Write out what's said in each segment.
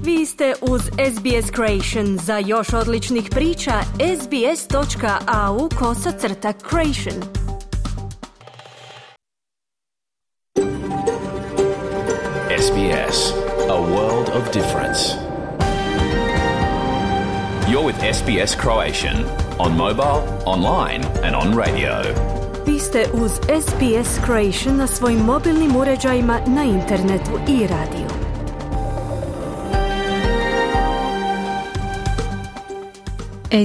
Vi ste uz SBS Creation. Za još odličnih priča, sbs.au/creation. SBS, a world of difference. You're with SBS Croatian on mobile, online and on radio. Vi ste uz SBS Creation na svojim mobilnim uređajima, na internetu i radiju.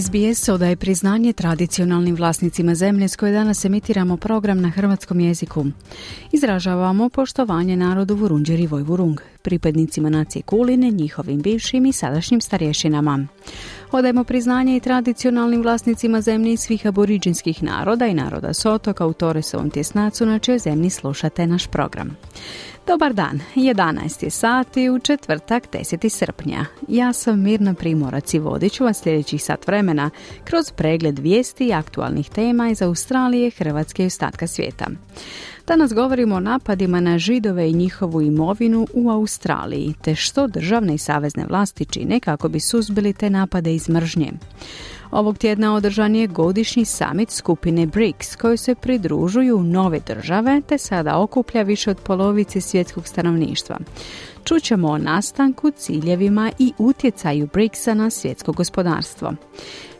SBS odaje priznanje tradicionalnim vlasnicima zemlje s koje danas emitiramo program na hrvatskom jeziku. Izražavamo poštovanje narodu Vurundjeri i Vojvurung, pripadnicima nacije Kuline, njihovim bivšim i sadašnjim starješinama. Odajemo priznanje i tradicionalnim vlasnicima zemlje i svih aboriđinskih naroda i naroda s otoka u Torresovom tjesnacu na čijoj zemlji slušate naš program. Dobar dan, 11 je sati u četvrtak 10. srpnja. Ja sam Mirna Primorac i vodit ću vas sljedećih sat vremena kroz pregled vijesti i aktualnih tema iz Australije, Hrvatske i ostatka svijeta. Danas govorimo o napadima na Židove i njihovu imovinu u Australiji, te što državne i savezne vlasti čine kako bi suzbili te napade iz mržnje. Ovog tjedna održan je godišnji summit skupine BRICS, kojoj se pridružuju nove države, te sada okuplja više od polovice svjetskog stanovništva. Čućemo o nastanku, ciljevima i utjecaju BRICS-a na svjetsko gospodarstvo.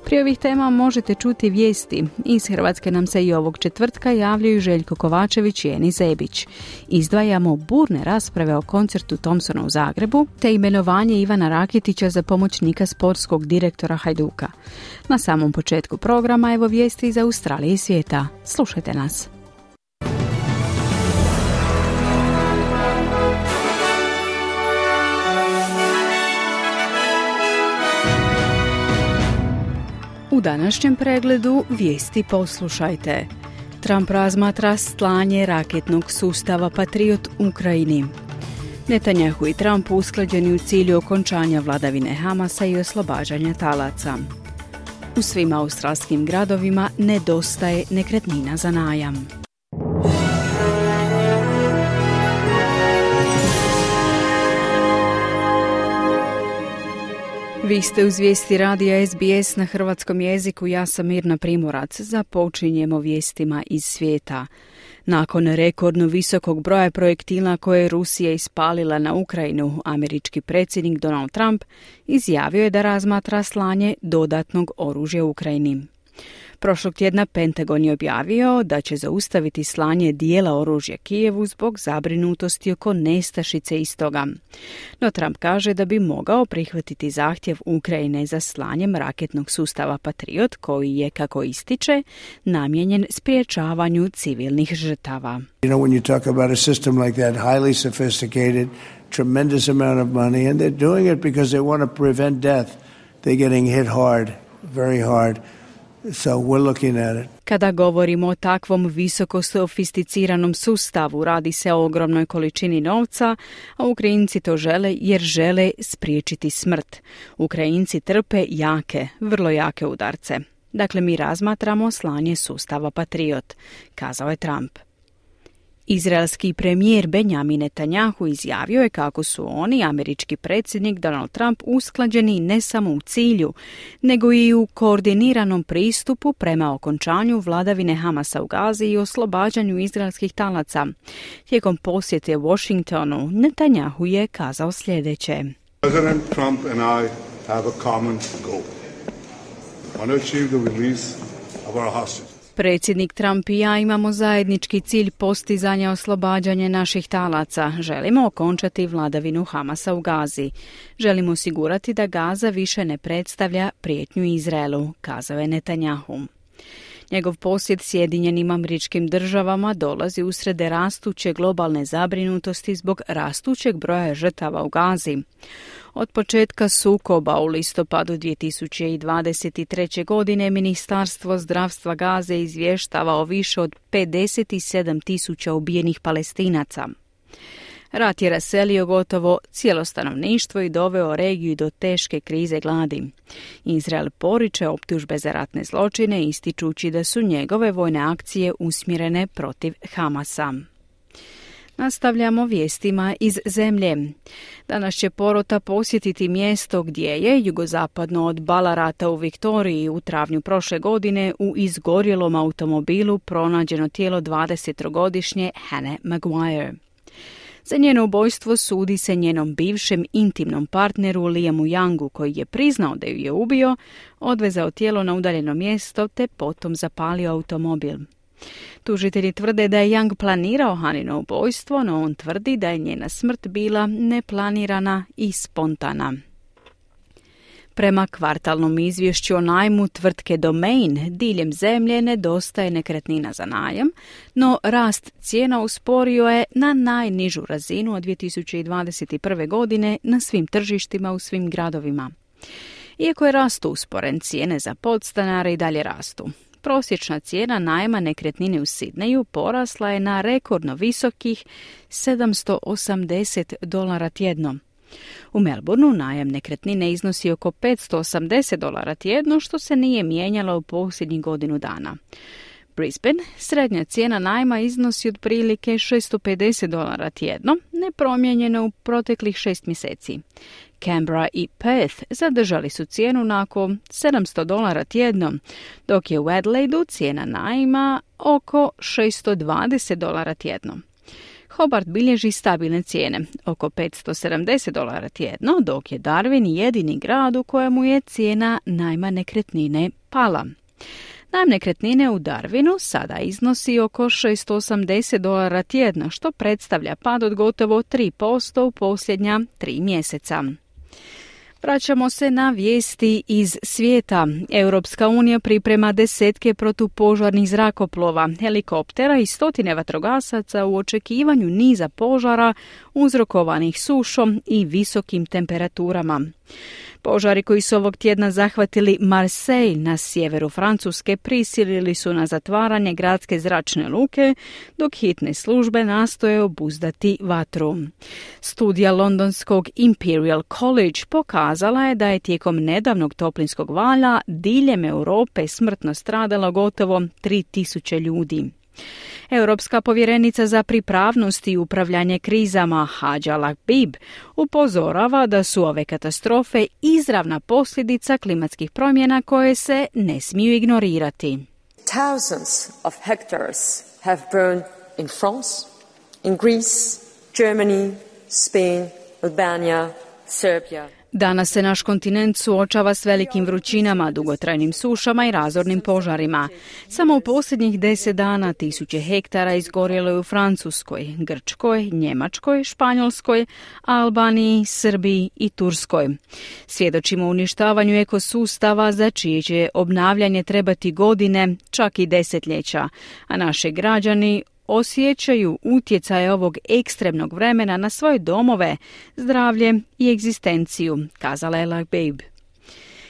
Prije ovih tema možete čuti vijesti. Iz Hrvatske nam se i ovog četvrtka javljaju Željko Kovačević i Eni Zebić. Izdvajamo burne rasprave o koncertu Thompsona u Zagrebu, te imenovanje Ivana Rakitića za pomoćnika sportskog direktora Hajduka. Na samom početku programa evo vijesti iz Australije i svijeta. Slušajte nas. U današnjem pregledu vijesti poslušajte. Trump razmatra slanje raketnog sustava Patriot Ukrajini. Netanjahu i Trump usklađeni u cilju okončanja vladavine Hamasa i oslobađanja talaca. U svim australskim gradovima nedostaje nekretnina za najam. Vi ste uz vijesti radija SBS na hrvatskom jeziku, ja sam Mirna Primorac. Započinjemo vijestima iz svijeta. Nakon rekordno visokog broja projektila koje je Rusija ispalila na Ukrajinu, američki predsjednik Donald Trump izjavio je da razmatra slanje dodatnog oružja Ukrajini. Prošlog tjedna Pentagon je objavio da će zaustaviti slanje dijela oružja Kijevu zbog zabrinutosti oko nestašice istoga. No Trump kaže da bi mogao prihvatiti zahtjev Ukrajine za slanjem raketnog sustava Patriot, koji je, kako ističe, namijenjen spriječavanju civilnih žrtava. You know, when you talk about a system like that, highly sophisticated, tremendous amount of money, and they're doing it because they want to prevent death. They're getting hit hard, very hard. So we're looking at it. Kada govorimo o takvom visoko sofisticiranom sustavu, radi se o ogromnoj količini novca, a Ukrajinci to žele jer žele spriječiti smrt. Ukrajinci trpe jake, vrlo jake udarce. Dakle, mi razmatramo slanje sustava Patriot, kazao je Trump. Izraelski premijer Benjamin Netanjahu izjavio je kako su oni, američki predsjednik Donald Trump, usklađeni ne samo u cilju, nego i u koordiniranom pristupu prema okončanju vladavine Hamasa u Gazi i oslobađanju izraelskih talaca. Tijekom posjete Washingtonu, Netanjahu je kazao sljedeće. President Trump and I have a common goal. We want to achieve the release of our hostages. Predsjednik Trump i ja imamo zajednički cilj postizanja oslobađanja naših talaca. Želimo okončati vladavinu Hamasa u Gazi. Želimo osigurati da Gaza više ne predstavlja prijetnju Izraelu, kazao je Netanjahu. Njegov posjet Sjedinjenim Američkim Državama dolazi usred rastuće globalne zabrinutosti zbog rastućeg broja žrtava u Gazi. Od početka sukoba u listopadu 2023. godine Ministarstvo zdravstva Gaze izvještava o više od 57.000 ubijenih Palestinaca. Rat je raselio gotovo cijelo stanovništvo i doveo regiju do teške krize gladi. Izrael poriče optužbe za ratne zločine, ističući da su njegove vojne akcije usmjerene protiv Hamasa. Nastavljamo vijestima iz zemlje. Danas će porota posjetiti mjesto gdje je, jugozapadno od Ballarata u Viktoriji, u travnju prošle godine u izgorjelom automobilu pronađeno tijelo 20-godišnje Hannah Maguire. Za njeno ubojstvo sudi se njenom bivšem intimnom partneru Liamu Youngu, koji je priznao da ju je ubio, odvezao tijelo na udaljeno mjesto te potom zapalio automobil. Tužitelji tvrde da je Young planirao Hannino ubojstvo, no on tvrdi da je njena smrt bila neplanirana i spontana. Prema kvartalnom izvješću o najmu tvrtke Domain, diljem zemlje nedostaje nekretnina za najam, no rast cijena usporio je na najnižu razinu od 2021. godine na svim tržištima u svim gradovima. Iako je rast usporen, cijene za podstanare i dalje rastu. Prosječna cijena najma nekretnine u Sidneju porasla je na rekordno visokih $780 tjedno. U Melbourneu najam nekretnine iznosi oko $580 tjedno, što se nije mijenjalo u posljednjih godinu dana. Brisbane srednja cijena najma iznosi otprilike $650 tjedno, nepromijenjeno u proteklih 6 mjeseci. Canberra i Perth zadržali su cijenu na oko $700 tjedno, dok je u Adelaideu cijena najma oko $620 tjedno. Hobart bilježi stabilne cijene, oko $570 tjedno, dok je Darwin jedini grad u kojemu je cijena najma nekretnine pala. Najam nekretnine u Darwinu sada iznosi oko $680 tjedno, što predstavlja pad od gotovo 3% u posljednja 3 mjeseca. Vraćamo se na vijesti iz svijeta. Europska unija priprema desetke protupožarnih zrakoplova, helikoptera i stotine vatrogasaca u očekivanju niza požara uzrokovanih sušom i visokim temperaturama. Požari koji su ovog tjedna zahvatili Marseille na sjeveru Francuske prisilili su na zatvaranje gradske zračne luke, dok hitne službe nastoje obuzdati vatru. Studija londonskog Imperial College pokazala je da je tijekom nedavnog toplinskog vala diljem Europe smrtno stradalo gotovo 3000 ljudi. Europska povjerenica za pripravnost i upravljanje krizama Hadja Lahbib upozorava da su ove katastrofe izravna posljedica klimatskih promjena koje se ne smiju ignorirati. Thousands of hectares have burned in France, in Greece, Germany, Spain, Albania, Serbia. Danas se naš kontinent suočava s velikim vrućinama, dugotrajnim sušama i razornim požarima. Samo u posljednjih 10 dana 1000 hektara izgorjelo je u Francuskoj, Grčkoj, Njemačkoj, Španjolskoj, Albaniji, Srbiji i Turskoj. Svjedočimo uništavanju ekosustava za čije će obnavljanje trebati godine, čak i desetljeća, a naši građani osjećaju utjecaje ovog ekstremnog vremena na svoje domove, zdravlje i egzistenciju, kazala je Lahbib.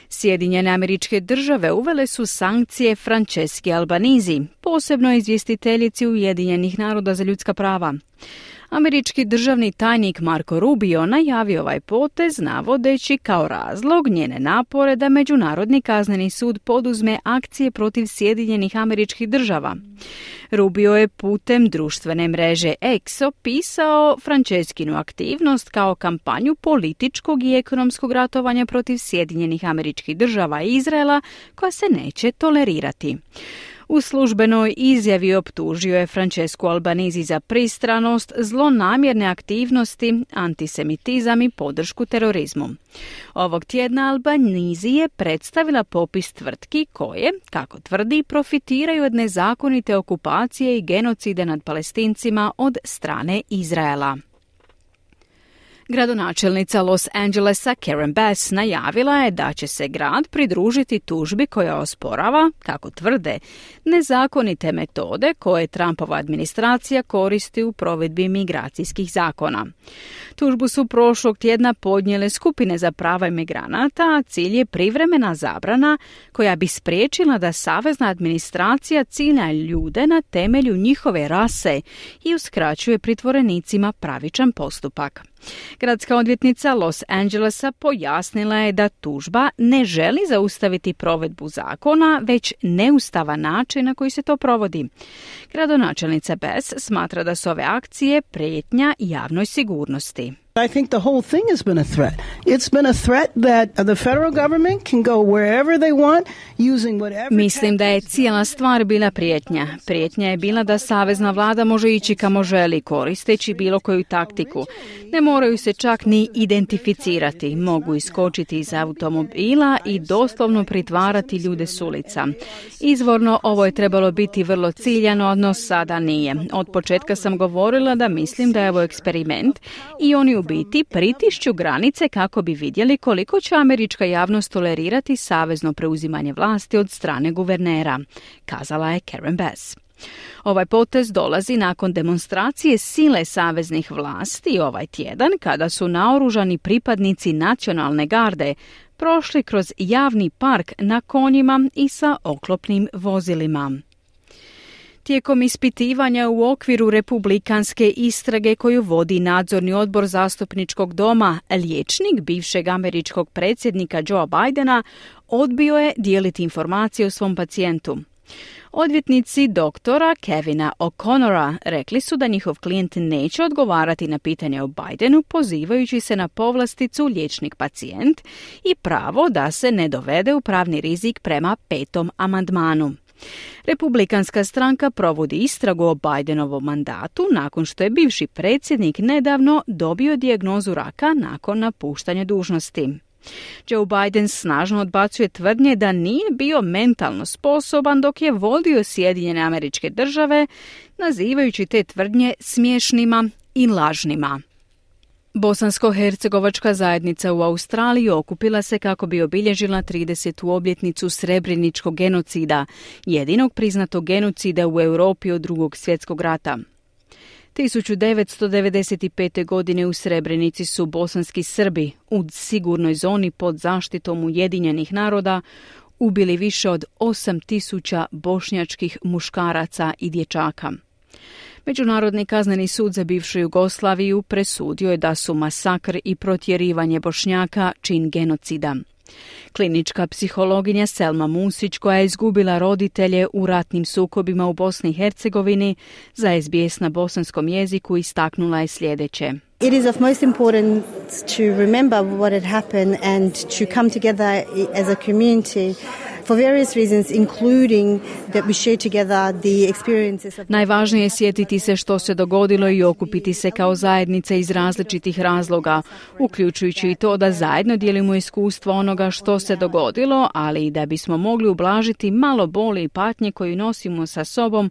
Sjedinjene Američke Države uvele su sankcije Franceschi Albanizi, posebno izvjestiteljici Ujedinjenih naroda za ljudska prava. Američki državni tajnik Marco Rubio najavio ovaj potez navodeći kao razlog njene napore da Međunarodni kazneni sud poduzme akcije protiv Sjedinjenih Američkih Država. Rubio je putem društvene mreže X opisao Franceskinu aktivnost kao kampanju političkog i ekonomskog ratovanja protiv Sjedinjenih Američkih Država i Izraela koja se neće tolerirati. U službenoj izjavi optužio je Francescu Albanizi za pristranost, zlonamjerne aktivnosti, antisemitizam i podršku terorizmu. Ovog tjedna Albanizi je predstavila popis tvrtki koje, kako tvrdi, profitiraju od nezakonite okupacije i genocide nad Palestincima od strane Izraela. Gradonačelnica Los Angelesa Karen Bass najavila je da će se grad pridružiti tužbi koja osporava, kako tvrde, nezakonite metode koje Trumpova administracija koristi u provedbi migracijskih zakona. Tužbu su prošlog tjedna podnijele skupine za prava imigranata, a cilj je privremena zabrana koja bi spriječila da savezna administracija cilja ljude na temelju njihove rase i uskraćuje pritvorenicima pravičan postupak. Gradska odvjetnica Los Angelesa pojasnila je da tužba ne želi zaustaviti provedbu zakona, već neustavan način na koji se to provodi. Gradonačelnica Bass smatra da su ove akcije prijetnja javnoj sigurnosti. I think the whole thing has been a threat. It's been a threat that the federal government can go wherever they want using whatever. Mislim da je cijela stvar bila prijetnja. Prijetnja je bila da savezna vlada može ići kamo želi koristeći bilo koju taktiku. Ne moraju se čak ni identificirati. Mogu iskočiti iz automobila i doslovno pritvarati ljude s ulica. Izvorno ovo je trebalo biti vrlo ciljano, no sada nije. Od početka sam govorila da mislim da je ovo eksperiment i oni u biti pritišću granice kako bi vidjeli koliko će američka javnost tolerirati savezno preuzimanje vlasti od strane guvernera, kazala je Karen Bass. Ovaj potez dolazi nakon demonstracije sile saveznih vlasti ovaj tjedan kada su naoružani pripadnici nacionalne garde prošli kroz javni park na konjima i sa oklopnim vozilima. Tijekom ispitivanja u okviru republikanske istrage koju vodi nadzorni odbor zastupničkog doma, liječnik bivšeg američkog predsjednika Joea Bidena odbio je dijeliti informacije o svom pacijentu. Odvjetnici doktora Kevina O'Connora rekli su da njihov klijent neće odgovarati na pitanje o Bidenu pozivajući se na povlasticu liječnik-pacijent i pravo da se ne dovede u pravni rizik prema 5. amandmanu. Republikanska stranka provodi istragu o Bidenovom mandatu nakon što je bivši predsjednik nedavno dobio dijagnozu raka nakon napuštanja dužnosti. Joe Biden snažno odbacuje tvrdnje da nije bio mentalno sposoban dok je vodio Sjedinjene Američke Države, nazivajući te tvrdnje smiješnima i lažnima. Bosansko-hercegovačka zajednica u Australiji okupila se kako bi obilježila 30. obljetnicu Srebreničkog genocida, jedinog priznatog genocida u Europi od Drugog svjetskog rata. 1995. godine u Srebrenici su bosanski Srbi u sigurnoj zoni pod zaštitom Ujedinjenih naroda ubili više od 8.000 bošnjačkih muškaraca i dječaka. Međunarodni kazneni sud za bivšu Jugoslaviju presudio je da su masakr i protjerivanje Bošnjaka čin genocida. Klinička psihologinja Selma Musić, koja je izgubila roditelje u ratnim sukobima u Bosni i Hercegovini, za SBS na bosanskom jeziku istaknula je sljedeće. It is of most importance to remember what had happened and to come together as a community for various reasons, including that we share together the experiences of... Najvažnije je sjetiti se što se dogodilo i okupiti se kao zajednica iz različitih razloga, uključujući i to da zajedno dijelimo iskustvo onoga što se dogodilo, ali i da bismo mogli ublažiti malo boli i patnje koju nosimo sa sobom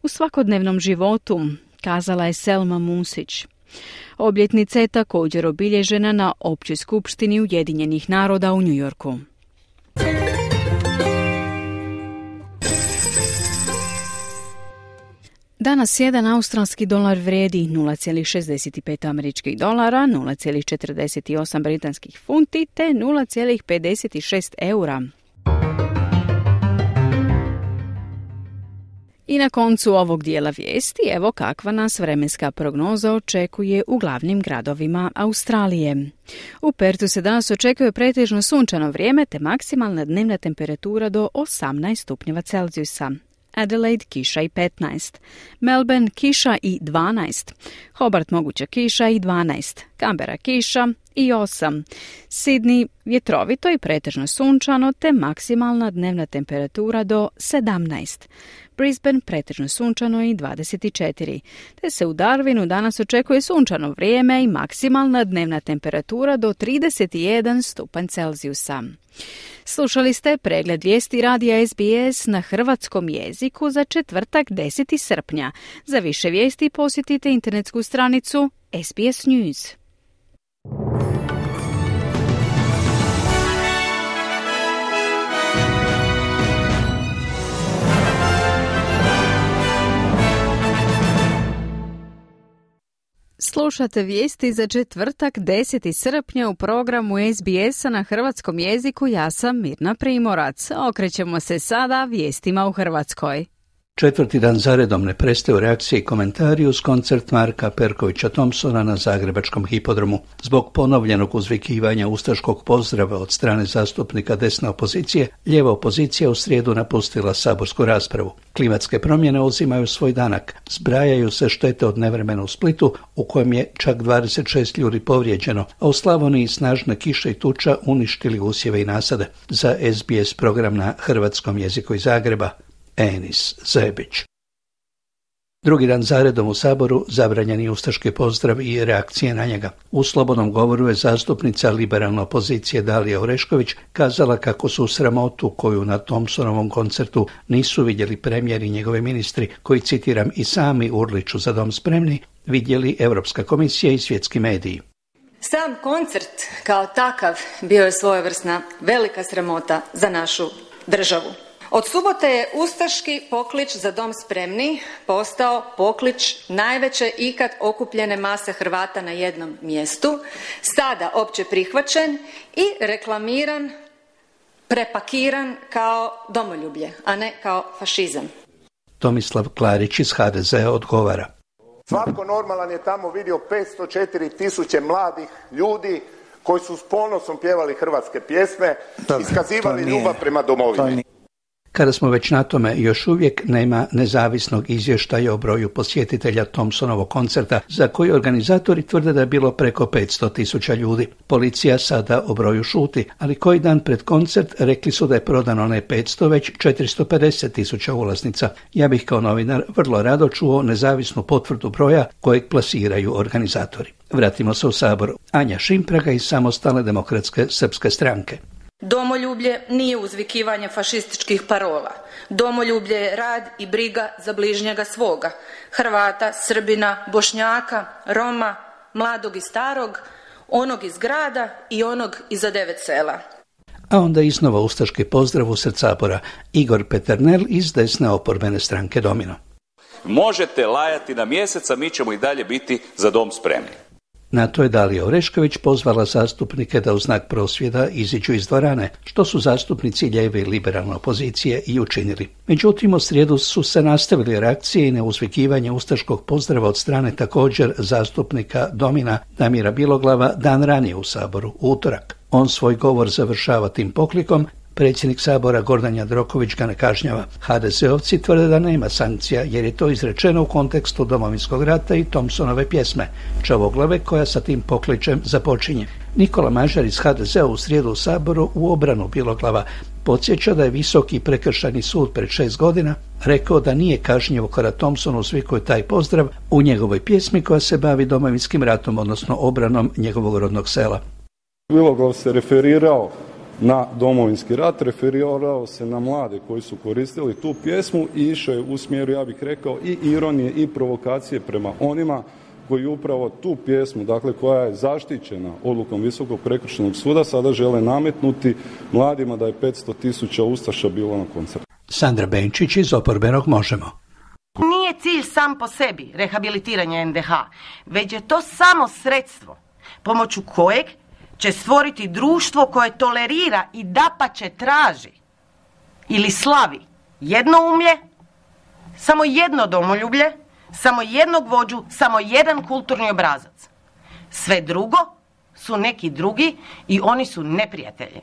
u svakodnevnom životu, kazala je Selma Musić. Obljetnica je također obilježena na Općoj skupštini Ujedinjenih naroda u New Yorku. Danas jedan australski dolar vrijedi 0,65 američkih dolara, 0,48 britanskih funti te 0,56 eura. I na koncu ovog dijela vijesti, evo kakva nas vremenska prognoza očekuje u glavnim gradovima Australije. U Perthu se danas očekuje pretežno sunčano vrijeme te maksimalna dnevna temperatura do 18 stupnjeva Celzijusa. Adelaide kiša i 15, Melbourne kiša i 12, Hobart moguća kiša i 12, Canberra kiša i 8, Sydney vjetrovito i pretežno sunčano te maksimalna dnevna temperatura do 17, Brisbane pretežno sunčano i 24, te se u Darwinu danas očekuje sunčano vrijeme i maksimalna dnevna temperatura do 31 stupanj Celzijusa. Slušali ste pregled vijesti radija SBS na hrvatskom jeziku za četvrtak 10. srpnja. Za više vijesti posjetite internetsku stranicu SBS News. Slušate vijesti za četvrtak 10. srpnja u programu SBS-a na hrvatskom jeziku. Ja sam Mirna Primorac. Okrećemo se sada vijestima u Hrvatskoj. Četvrti dan zaredom ne prestaju reakcije i komentari uz koncert Marka Perkovića Thompsona na zagrebačkom hipodromu. Zbog ponovljenog uzvikivanja ustaškog pozdrava od strane zastupnika desne opozicije, lijeva opozicija u srijedu napustila saborsku raspravu. Klimatske promjene uzimaju svoj danak. Zbrajaju se štete od nevremena u Splitu, u kojem je čak 26 ljudi povrijeđeno, a u Slavoniji snažne kiše i tuča uništili usjeve i nasade. Za SBS program na hrvatskom jeziku iz Zagreba, Enis Zebić. Drugi dan zaredom u Saboru zabranjen je ustaški pozdrav i reakcije na njega. U slobodnom govoru je zastupnica liberalne opozicije Dalija Orešković kazala kako su sramotu koju na Thompsonovom koncertu nisu vidjeli premijer i njegovi ministri, koji, citiram, i sami urliču za dom spremni, vidjeli Europska komisija i svjetski mediji. Sam koncert kao takav bio je svojevrsna velika sramota za našu državu. Od subote je ustaški poklič za dom spremni postao poklič najveće ikad okupljene mase Hrvata na jednom mjestu, sada opće prihvaćen i reklamiran, prepakiran kao domoljublje, a ne kao fašizam. Tomislav Klarić iz HDZ-a odgovara. Svatko normalan je tamo vidio 504.000 mladih ljudi koji su s ponosom pjevali hrvatske pjesme, iskazivali ljubav prema domovini. Kada smo već na tome, još uvijek nema nezavisnog izvještaja o broju posjetitelja Thompsonovog koncerta, za koji organizatori tvrde da je bilo preko 500.000 ljudi. Policija sada o broju šuti, ali koji dan pred koncert rekli su da je prodano ne 500, već 450.000 ulaznica. Ja bih kao novinar vrlo rado čuo nezavisnu potvrdu broja kojeg plasiraju organizatori. Vratimo se u Sabor. Anja Šimpraga iz Samostalne demokratske srpske stranke. Domoljublje nije uzvikivanje fašističkih parola. Domoljublje je rad i briga za bližnjega svoga. Hrvata, Srbina, Bošnjaka, Roma, mladog i starog, onog iz grada i onog iza 9 sela. A onda iznova ustaški pozdrav usred Sabora. Igor Peternel iz desne oporbene stranke Domino. Možete lajati na mjesec, a mi ćemo i dalje biti za dom spremni. Na to je Dalija Orešković pozvala zastupnike da u znak prosvjeda iziđu iz dvorane, što su zastupnici lijeve i liberalne opozicije i učinili. Međutim, u srijedu su se nastavili reakcije i neuzvikivanje ustaškog pozdrava od strane također zastupnika Domina Damira Biloglava dan ranije u Saboru, u utorak. On svoj govor završava tim poklikom. Predsjednik Sabora Gordan Jandroković ga ne kažnjava. HDZ-ovci tvrde da nema sankcija jer je to izrečeno u kontekstu Domovinskog rata i Thompsonove pjesme Čavoglave koja sa tim pokličem započinje. Nikola Mažar iz HDZ-a u srijedu u Saboru u obranu Biloglava podsjeća da je Visoki prekršajni sud pred 6 godina rekao da nije kažnjivo kada Thompson uzvikuje taj pozdrav u njegovoj pjesmi koja se bavi Domovinskim ratom, odnosno obranom njegovog rodnog sela. Biloglav se referirao na Domovinski rat, referirao se na mlade koji su koristili tu pjesmu i išao je u smjeru, ja bih rekao, i ironije i provokacije prema onima koji upravo tu pjesmu, dakle koja je zaštićena odlukom Visokog prekršajnog suda, sada žele nametnuti mladima da je 500.000 ustaša bilo na koncertu. Sandra Benčić iz oporbenog Možemo. Nije cilj sam po sebi rehabilitiranje NDH, već je to samo sredstvo pomoću kojeg će stvoriti društvo koje tolerira i dapače traži ili slavi jednoumlje, samo jedno domoljublje, samo jednog vođu, samo jedan kulturni obrazac. Sve drugo su neki drugi i oni su neprijatelji.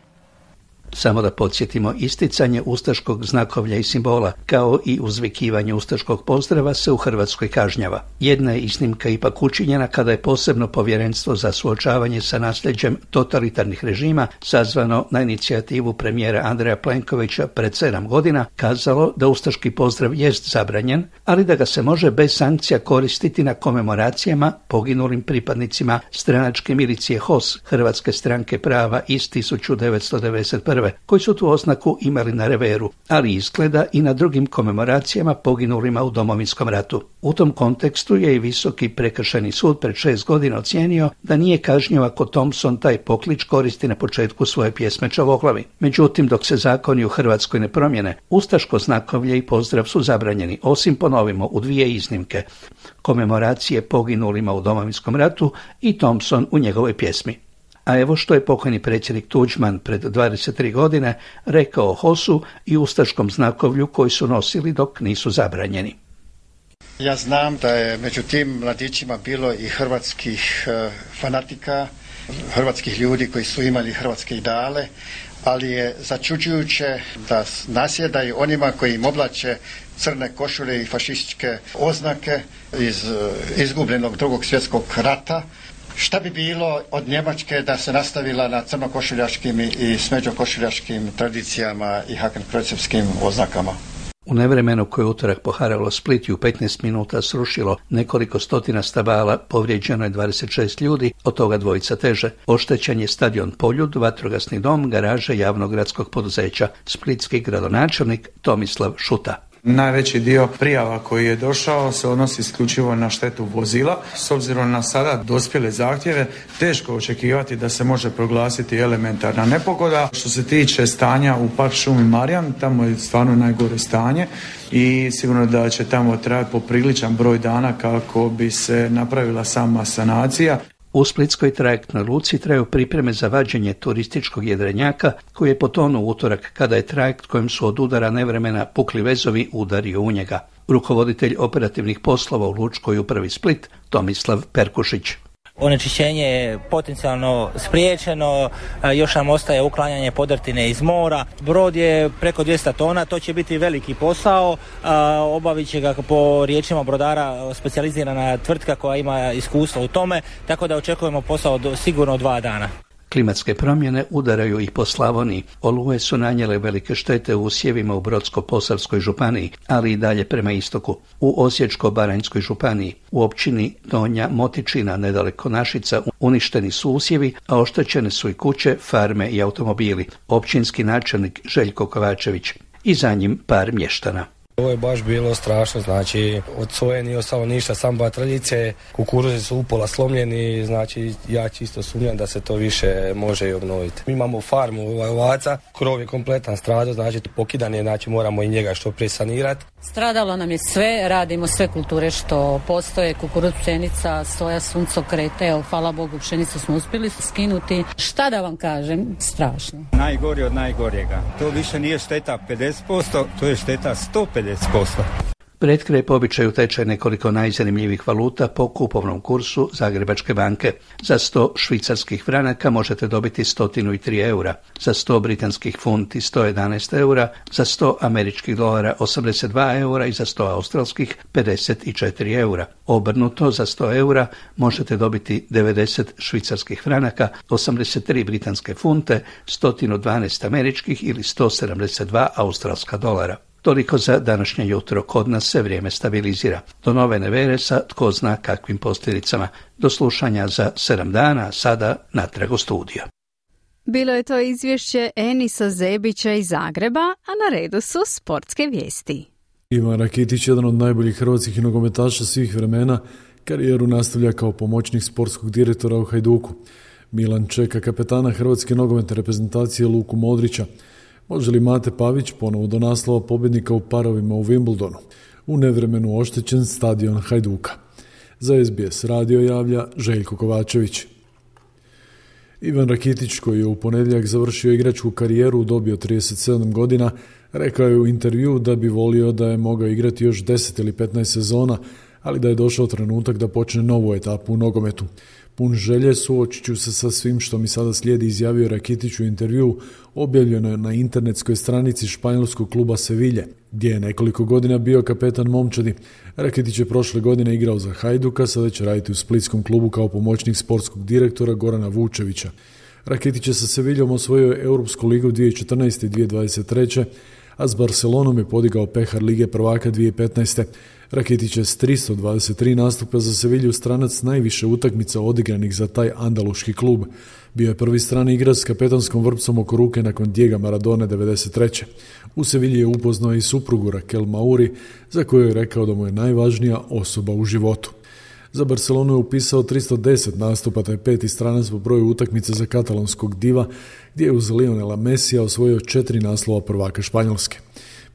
Samo da podsjetimo, isticanje ustaškog znakovlja i simbola, kao i uzvikivanje ustaškog pozdrava se u Hrvatskoj kažnjava. Jedna je iznimka ipak učinjena kada je posebno povjerenstvo za suočavanje sa nasljeđem totalitarnih režima, sazvano na inicijativu premijera Andreja Plenkovića pred 7 godina, kazalo da ustaški pozdrav jest zabranjen, ali da ga se može bez sankcija koristiti na komemoracijama poginulim pripadnicima stranačke milicije HOS, Hrvatske stranke prava iz 1991. koji su tu oznaku imali na reveru, ali izgleda i na drugim komemoracijama poginulima u Domovinskom ratu. U tom kontekstu je i Visoki prekršajni sud pred 6 godina ocijenio da nije kažnjivo ako Thompson taj poklič koristi na početku svoje pjesme Čavoglavi. Međutim, dok se zakoni u Hrvatskoj ne promjene, ustaško znakovlje i pozdrav su zabranjeni, osim, ponovimo, u dvije iznimke: komemoracije poginulima u Domovinskom ratu i Thompson u njegovoj pjesmi. A evo što je pokojni predsjednik Tuđman pred 23 godine rekao o HOS-u i ustaškom znakovlju koji su nosili dok nisu zabranjeni. Ja znam da je među tim mladićima bilo i hrvatskih fanatika, hrvatskih ljudi koji su imali hrvatske ideale, ali je začuđujuće da nasjedaju onima koji im oblače crne košulje i fašističke oznake iz izgubljenog Drugog svjetskog rata. Šta bi bilo od Njemačke da se nastavila na crnokošuljaškim i smeđokošuljaškim tradicijama i hakenkrojcevskim oznakama? U nevremenu koje je utorak poharalo Split i u 15 minuta srušilo nekoliko stotina stabala, povrijeđeno je 26 ljudi, od toga 2 teže. Oštećen je stadion Poljud, vatrogasni dom, garaže javnog gradskog poduzeća. Splitski gradonačelnik Tomislav Šuta. Najveći dio prijava koji je došao se odnosi isključivo na štetu vozila. S obzirom na sada dospjele zahtjeve, teško očekivati da se može proglasiti elementarna nepogoda. Što se tiče stanja u Park šumi Marjan, tamo je stvarno najgore stanje i sigurno da će tamo trajati popriličan broj dana kako bi se napravila sama sanacija. U splitskoj trajektnoj luci traju pripreme za vađenje turističkog jedrenjaka koji je potonuo u utorak kada je trajekt kojem su od udara nevremena pukli vezovi udario u njega. Rukovoditelj operativnih poslova u Lučkoj upravi Split Tomislav Perkušić. Onečišćenje je potencijalno spriječeno, još nam ostaje uklanjanje podrtine iz mora. Brod je preko 200 tona, to će biti veliki posao, obavit će ga po riječima brodara specijalizirana tvrtka koja ima iskustvo u tome, tako da očekujemo posao sigurno 2 dana. Klimatske promjene udaraju i po Slavoniji. Oluje su nanijele velike štete u usjevima u Brodsko-posavskoj županiji, ali i dalje prema istoku. U Osječko-baranjskoj županiji, u općini Donja Motičina, nedaleko Našica, uništeni su usjevi, a oštećene su i kuće, farme i automobili. Općinski načelnik Željko Kovačević i za njim par mještana. Ovo je baš bilo strašno, znači od soje nije ostalo ništa, samo batrljice, kukuruzi su upola slomljeni, znači ja čisto sumnjam da se to više može i obnoviti. Mi imamo farmu ovaca, krov je kompletan stradao, znači pokidan je, znači moramo i njega što prije sanirati. Stradalo nam je sve, radimo sve kulture što postoje, kukuruz, pšenica, soja, suncokrete, evo, hvala Bogu, pšenicu smo uspjeli skinuti. Šta da vam kažem, strašno. Najgori od najgorjega. To više nije šteta 50%, to je šteta 150%. Pred kraj po običaju teče nekoliko najzanimljivih valuta po kupovnom kursu Zagrebačke banke. Za 100 švicarskih franaka možete dobiti 103 eura, za 100 britanskih funti 111 eura, za 100 američkih dolara 82 eura i za 100 australskih 54 eura. Obrnuto, za 100 eura možete dobiti 90 švicarskih franaka, 83 britanske funte, 112 američkih ili 172 australska dolara. Toliko za današnje jutro, kod nas se vrijeme stabilizira. Do nove nevere sa tko zna kakvim posljedicama. Do slušanja za 7 dana, sada natrag u studio. Bilo je to izvješće Enisa Zebića iz Zagreba, a na redu su sportske vijesti. Ivan Rakitić, jedan od najboljih hrvatskih nogometaša svih vremena, karijeru nastavlja kao pomoćnik sportskog direktora u Hajduku. Milan čeka kapetana hrvatske nogometne reprezentacije Luku Modrića. Može li Mate Pavić ponovo do naslova pobjednika u parovima u Wimbledonu? U nevremenu oštećen stadion Hajduka. Za SBS radio javlja Željko Kovačević. Ivan Rakitić, koji je u ponedjeljak završio igračku karijeru u dobi od 37 godina, rekao je u intervju da bi volio da je mogao igrati još 10 ili 15 sezona, ali da je došao trenutak da počne novu etapu u nogometu. Pun želje, suočit ću se sa svim što mi sada slijedi, izjavio Rakitić u intervju objavljeno na internetskoj stranici španjolskog kluba Sevilje, gdje je nekoliko godina bio kapetan momčadi. Rakitić je prošle godine igrao za Hajduka, sada će raditi u splitskom klubu kao pomoćnik sportskog direktora Gorana Vučevića. Rakitić je sa Seviljom osvojio Europsku ligu 2014. i 2023. a s Barcelonom je podigao pehar Lige prvaka 2015. Rakitić je s 323 nastupa za Sevilju stranac najviše utakmica odigranih za taj andaluški klub. Bio je prvi strani igrač s kapetanskom vrpcom oko ruke nakon Diega Maradone 93. U Sevilji je upoznao i suprugu Raquel Mauri, za koju je rekao da mu je najvažnija osoba u životu. Za Barcelonu je upisao 310 nastupa, taj 5. stranac po broju utakmice za katalonskog diva, gdje je uz Lionela Messija osvojio 4 naslova prvaka Španjolske.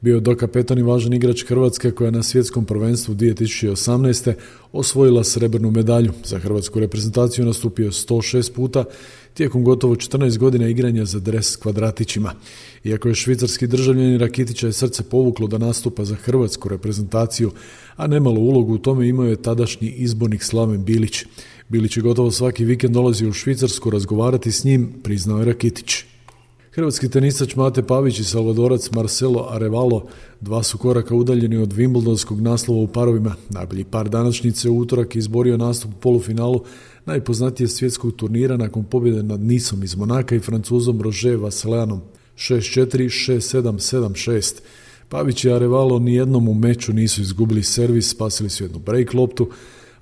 Bio je dokapetan i važan igrač Hrvatske koja je na svjetskom prvenstvu 2018. osvojila srebrnu medalju. Za hrvatsku reprezentaciju nastupio 106 puta tijekom gotovo 14 godina igranja za dres s kvadratićima. Iako je švicarski državljanin, Rakitića je srce povuklo da nastupa za hrvatsku reprezentaciju, a nemalo ulogu u tome imao je tadašnji izbornik Slaven Bilić. Bilić je gotovo svaki vikend dolazio u Švicarsku razgovarati s njim, priznao je Rakitić. Hrvatski tenisač Mate Pavić i Salvadorac Marcelo Arevalo 2 su koraka udaljeni od Wimbledonskog naslova u parovima. Najbolji par današnjice u utorak je izborio nastup u polufinalu najpoznatije svjetskog turnira nakon pobjede nad Nisom iz Monaka i Francuzom Roger Vasselanom 6-4, 6-7, 7-6. Pavić i Arevalo nijednom u meču nisu izgubili servis, spasili su jednu break loptu,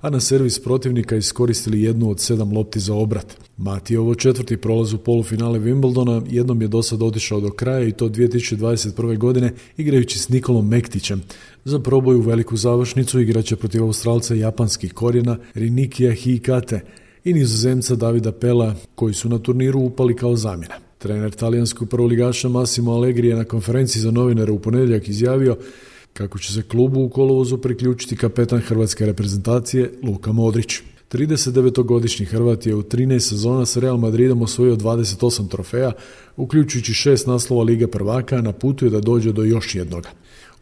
a na servis protivnika iskoristili jednu od 7 lopti za obrat. Mati je ovo 4. prolaz u polufinale Wimbledona, jednom je do sad otišao do kraja i to 2021. godine igrajući s Nikolom Mektićem. Za proboj u veliku završnicu igraće protiv Australca japanskih korijena Rinikija Hikate i Nizozemca Davida Pela, koji su na turniru upali kao zamjena. Trener talijanskog prvoligaša Massimo Allegri je na konferenciji za novinare u ponedjeljak izjavio kako će se klubu u kolovozu priključiti kapetan hrvatske reprezentacije Luka Modrić. 39-godišnji Hrvat je u 13 sezona s Real Madridom osvojio 28 trofeja, uključujući 6 naslova Lige prvaka, a na putu je da dođe do još jednoga.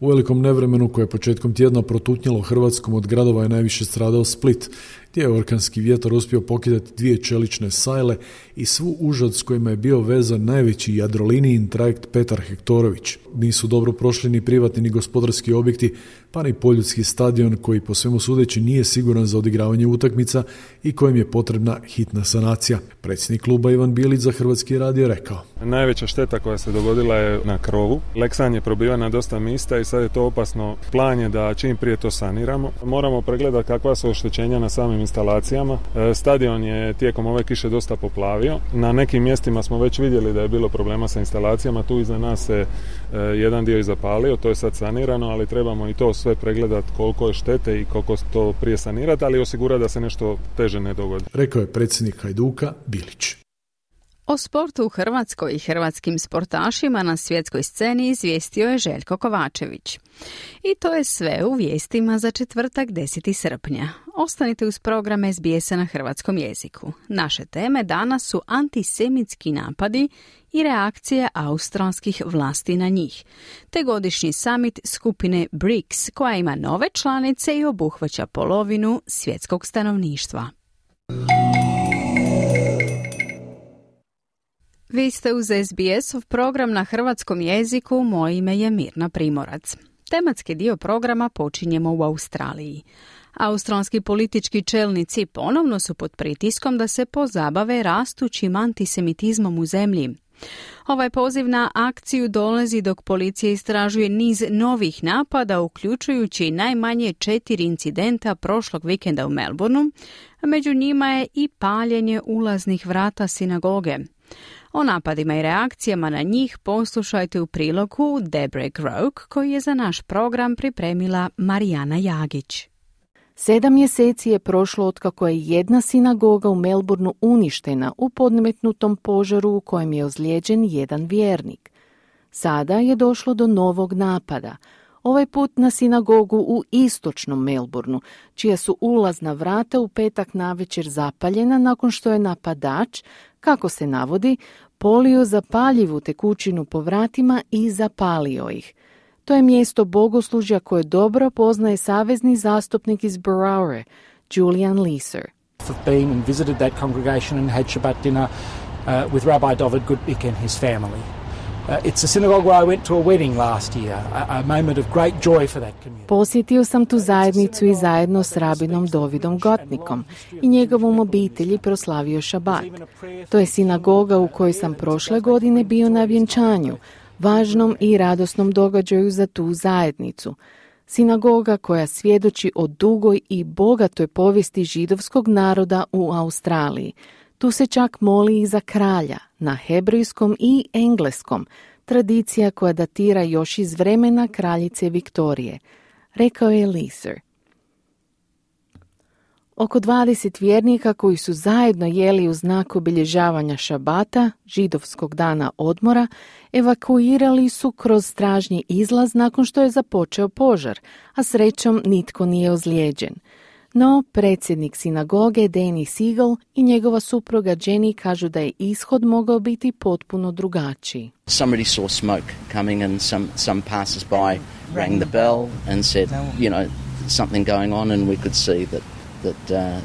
U velikom nevremenu koje je početkom tjedna protutnjalo Hrvatskom od gradova je najviše stradao Split, gdje je orkanski vjetar uspio pokidati 2 čelične sajle i svu užad s kojima je bio vezan najveći jadrolinijin trajekt Petar Hektorović. Nisu dobro prošli ni privatni ni gospodarski objekti, pa ni poljudski stadion koji po svemu sudeći nije siguran za odigravanje utakmica i kojem je potrebna hitna sanacija. Predsjednik kluba Ivan Bilić za Hrvatski radio rekao: Najveća šteta koja se dogodila je na krovu. Leksan je probio na dosta mista i sad je to opasno. Plan je da čim prije to saniramo. Moramo pregledati kakva su oštećenja na samim instalacijama. Stadion je tijekom ove kiše dosta poplavio. Na nekim mjestima smo već vidjeli da je bilo problema sa instalacijama. Tu iza nas se jedan dio i zapalio, to je sad sanirano, ali trebamo i to sve pregledati koliko je štete i koliko to prije sanirati, ali osigurati da se nešto teže ne dogodi. Rekao je predsjednik Hajduka Bilić. O sportu u Hrvatskoj i hrvatskim sportašima na svjetskoj sceni izvijestio je Željko Kovačević. I to je sve u vijestima za četvrtak 10. srpnja. Ostanite uz program SBS-a na hrvatskom jeziku. Naše teme danas su antisemitski napadi i reakcije australskih vlasti na njih, te godišnji summit skupine BRICS koja ima nove članice i obuhvaća polovinu svjetskog stanovništva. Vi ste uz SBS-ov program na hrvatskom jeziku, moje ime je Mirna Primorac. Tematski dio programa počinjemo u Australiji. Australski politički čelnici ponovno su pod pritiskom da se pozabave rastućim antisemitizmom u zemlji. Ovaj poziv na akciju dolazi dok policija istražuje niz novih napada, uključujući najmanje 4 incidenta prošlog vikenda u Melbourneu, a među njima je i paljenje ulaznih vrata sinagoge. O napadima i reakcijama na njih poslušajte u prilogu Debre Grok, koji je za naš program pripremila Marijana Jagić. 7 mjeseci je prošlo otkako je jedna sinagoga u Melbourneu uništena u podmetnutom požaru u kojem je ozlijeđen jedan vjernik. Sada je došlo do novog napada. Ovaj put na sinagogu u istočnom Melbourneu, čija su ulazna vrata u petak navečer zapaljena nakon što je napadač, kako se navodi, polio zapaljivu tekućinu po vratima i zapalio ih. To je mjesto bogoslužja koje dobro poznaje savezni zastupnik iz Berowra, Julian Leeser. I've been and visited that congregation and had Shabbat dinner with Rabbi David Goodbick and his family. It's a synagogue where I went to a wedding last year, a moment of great joy for that community. Posjetio sam tu zajednicu i zajedno s rabinom Davidom Goodbickom i njegovom obitelji proslavio Šabat. To je sinagoga u kojoj sam prošle godine bio na vjenčanju, važnom i radosnom događaju za tu zajednicu. Sinagoga koja svjedoči o dugoj i bogatoj povijesti židovskog naroda u Australiji. Tu se čak moli i za kralja, na hebrejskom i engleskom, tradicija koja datira još iz vremena kraljice Viktorije, rekao je Leeser. Oko 20 vjernika koji su zajedno jeli u znak obilježavanja šabata, židovskog dana odmora, evakuirali su kroz stražnji izlaz nakon što je započeo požar, a srećom nitko nije ozlijeđen. No, predsjednik sinagoge Danny Siegel i njegova supruga Jenny kažu da je ishod mogao biti potpuno drugačiji. Somebody saw smoke coming and some passers-by rang the bell and said, something going on, and we could see that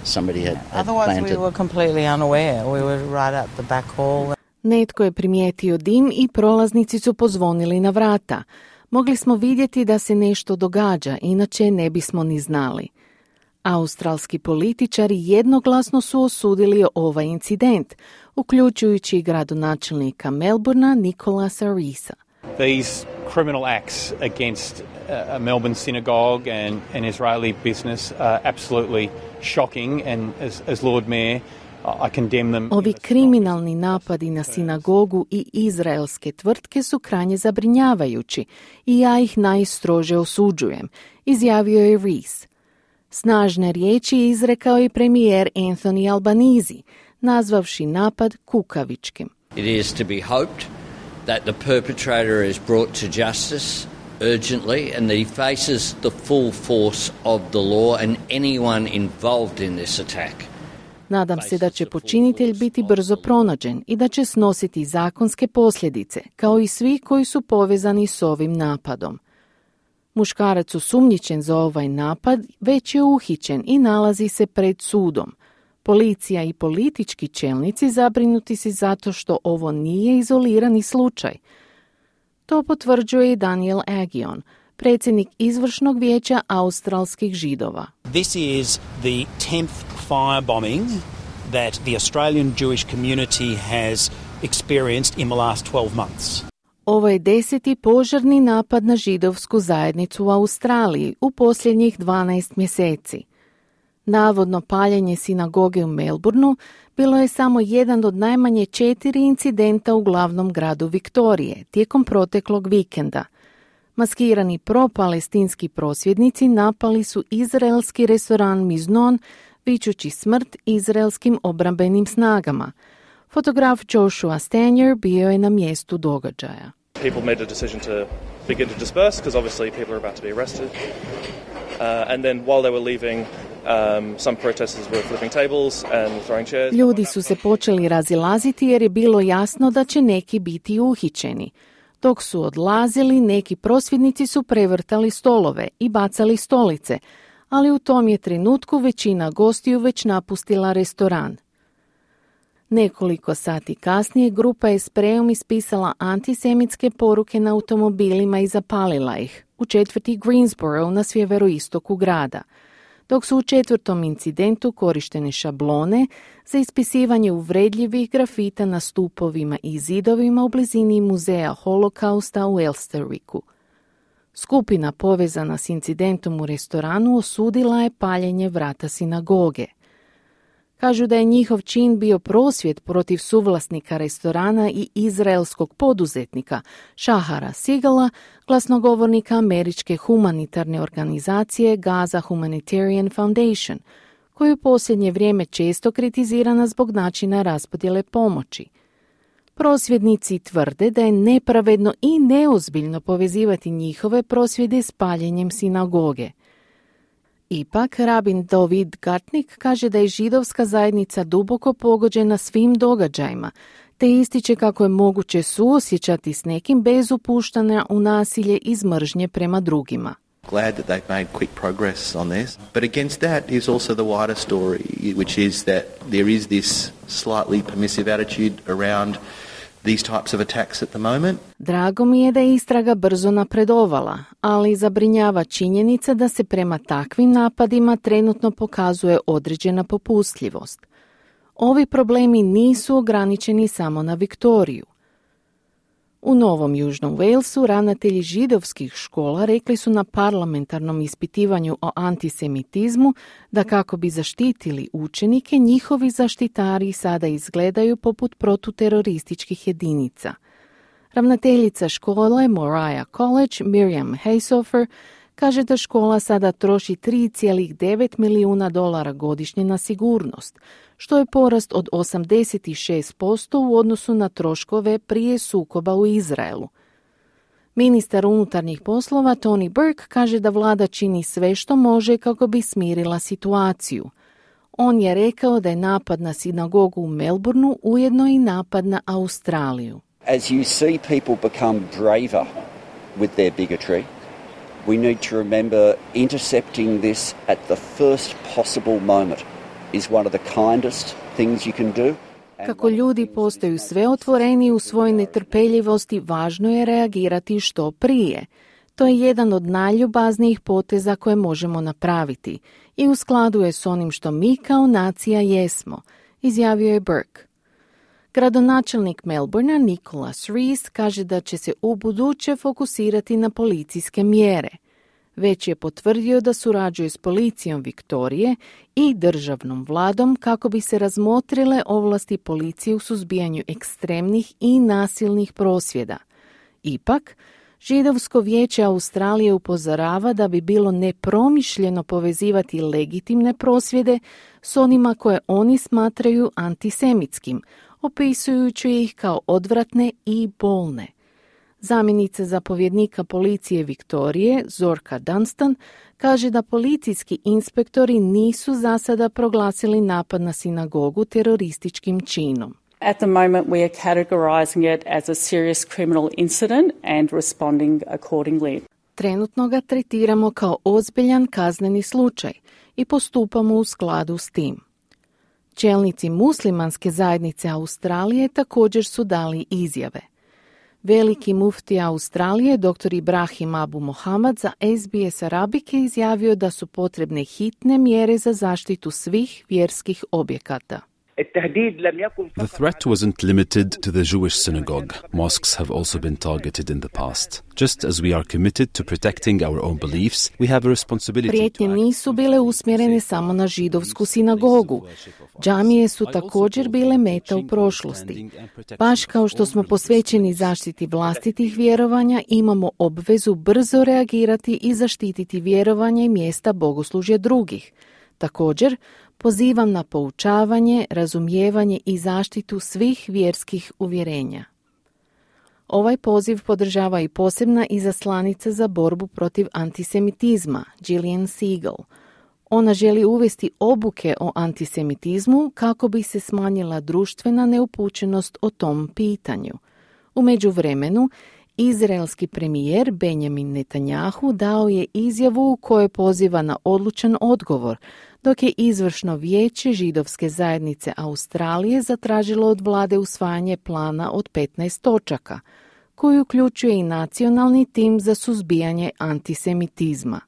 somebody had Otherwise planted. we were completely unaware. We were right at the back hall. Netko je primijetio dim i prolaznici su pozvonili na vrata. Mogli smo vidjeti da se nešto događa, inače ne bismo ni znali. Australski političari jednoglasno su osudili ovaj incident, uključujući gradonačelnika Melbourna Nicholasa Reesa. These criminal acts against a Melbourne synagogue and an Israeli business are absolutely shocking, and as Lord Mayor I condemn them. Ovi kriminalni napadi na sinagogu i izraelske tvrtke su krajnje zabrinjavajući i ja ih najstrože osuđujem, izjavio je Rees. Snažne riječi izrekao i premijer Anthony Albanese, nazvavši napad kukavičkim. It is to be hoped that the perpetrator is brought to justice urgently and that he faces the full force of the law and anyone involved in this attack. Nadam se da će počinitelj biti brzo pronađen i da će snositi zakonske posljedice, kao i svi koji su povezani s ovim napadom. Muškarac osumnjičen za ovaj napad već je uhićen i nalazi se pred sudom. Policija i politički čelnici zabrinuti su zato što ovo nije izolirani slučaj. To potvrđuje i Daniel Agion, predsjednik izvršnog vijeća australskih židova. This is the 10th firebombing that the Australian Jewish community has experienced in the last 12 months. Ovo je 10. požarni napad na židovsku zajednicu u Australiji u posljednjih 12 mjeseci. Navodno paljenje sinagoge u Melbourneu bilo je samo jedan od najmanje 4 incidenta u glavnom gradu Viktorije tijekom proteklog vikenda. Maskirani pro-palestinski prosvjednici napali su izraelski restoran Miznon, vičući smrt izraelskim obrambenim snagama. Fotograf Joshua Stanier bio je na mjestu događaja. People made a decision to begin to disperse because obviously people are about to be arrested. And then while they were leaving, some protesters were flipping tables and throwing chairs. Ljudi su se počeli razilaziti jer je bilo jasno da će neki biti uhićeni. Dok su odlazili, neki prosvjednici su prevrtali stolove i bacali stolice, ali u tom je trenutku većina gostiju već napustila restoran. Nekoliko sati kasnije grupa je sprejom ispisala antisemitske poruke na automobilima i zapalila ih u četvrti Greensboro na sjeveroistoku grada, dok su u 4. incidentu korištene šablone za ispisivanje uvredljivih grafita na stupovima i zidovima u blizini muzeja Holokausta u Elsterwicku. Skupina povezana s incidentom u restoranu osudila je paljenje vrata sinagoge. Kažu da je njihov čin bio prosvjed protiv suvlasnika restorana i izraelskog poduzetnika Shahara Sigala, glasnogovornika američke humanitarne organizacije Gaza Humanitarian Foundation, koju u posljednje vrijeme često kritizirana zbog načina raspodjele pomoći. Prosvjednici tvrde da je nepravedno i neozbiljno povezivati njihove prosvjede s paljenjem sinagoge. Ipak, rabin David Gartnik kaže da je židovska zajednica duboko pogođena svim događajima, te ističe kako je moguće suosjećati s nekim bez upuštanja u nasilje iz mržnje prema drugima. Glad that they've made quick progress on this. But against that is also the wider story, which is that there is this slightly permissive attitude around these types of attacks at the moment. Drago mi je da je istraga brzo napredovala, ali zabrinjava činjenica da se prema takvim napadima trenutno pokazuje određena popustljivost. Ovi problemi nisu ograničeni samo na Viktoriju. U Novom Južnom Walesu ravnatelji židovskih škola rekli su na parlamentarnom ispitivanju o antisemitizmu da kako bi zaštitili učenike, njihovi zaštitari sada izgledaju poput protuterorističkih jedinica. Ravnateljica škole Moriah College, Miriam Haysofer, kaže da škola sada troši $3,9 milijuna godišnje na sigurnost, što je porast od 86% u odnosu na troškove prije sukoba u Izraelu. Ministar unutarnjih poslova Tony Burke kaže da vlada čini sve što može kako bi smirila situaciju. On je rekao da je napad na sinagogu u Melbourneu ujedno i napad na Australiju. As you see people become braver with their bigotry, we need to remember intercepting this at the first possible moment is one of the kindest things you can do. Kako ljudi postaju sve otvoreniji u svojoj netrpeljivosti, važno je reagirati što prije. To je jedan od najljubaznijih poteza koje možemo napraviti i u skladu je s onim što mi kao nacija jesmo, izjavio je Burke. Gradonačelnik Melbournea Nicholas Rees kaže da će se ubuduće fokusirati na policijske mjere. Već je potvrdio da surađuje s policijom Viktorije i državnom vladom kako bi se razmotrile ovlasti policije u suzbijanju ekstremnih i nasilnih prosvjeda. Ipak, Židovsko vijeće Australije upozorava da bi bilo nepromišljeno povezivati legitimne prosvjede s onima koje oni smatraju antisemitskim, opisujući ih kao odvratne i bolne. Zamjenica zapovjednika policije Viktorije, Zorka Dunstan, kaže da policijski inspektori nisu za sada proglasili napad na sinagogu terorističkim činom. At the moment we are categorizing it as a serious criminal incident and responding accordingly. Trenutno ga tretiramo kao ozbiljan kazneni slučaj i postupamo u skladu s tim. Čelnici muslimanske zajednice Australije također su dali izjave. Veliki muftija Australije, dr. Ibrahim Abu Mohamed, za SBS Arabic je izjavio da su potrebne hitne mjere za zaštitu svih vjerskih objekata. The threat wasn't limited to the Jewish synagogue. Mosques have also been targeted in the past. Just as we are committed to protecting our own beliefs, we have a responsibility. Prijetnje nisu bile usmjerene samo na židovsku sinagogu. Džamije su također bile meta u prošlosti. Baš kao što smo posvećeni zaštiti vlastitih vjerovanja, imamo obvezu brzo reagirati i zaštititi vjerovanja i mjesta bogoslužja drugih. Također, pozivam na poučavanje, razumijevanje i zaštitu svih vjerskih uvjerenja. Ovaj poziv podržava i posebna izaslanica za borbu protiv antisemitizma, Gillian Segal. Ona želi uvesti obuke o antisemitizmu kako bi se smanjila društvena neupućenost o tom pitanju. U međuvremenu, izraelski premijer Benjamin Netanjahu dao je izjavu u kojoj poziva na odlučan odgovor, dok je izvršno vijeće židovske zajednice Australije zatražilo od vlade usvajanje plana od 15 točaka, koji uključuje i nacionalni tim za suzbijanje antisemitizma.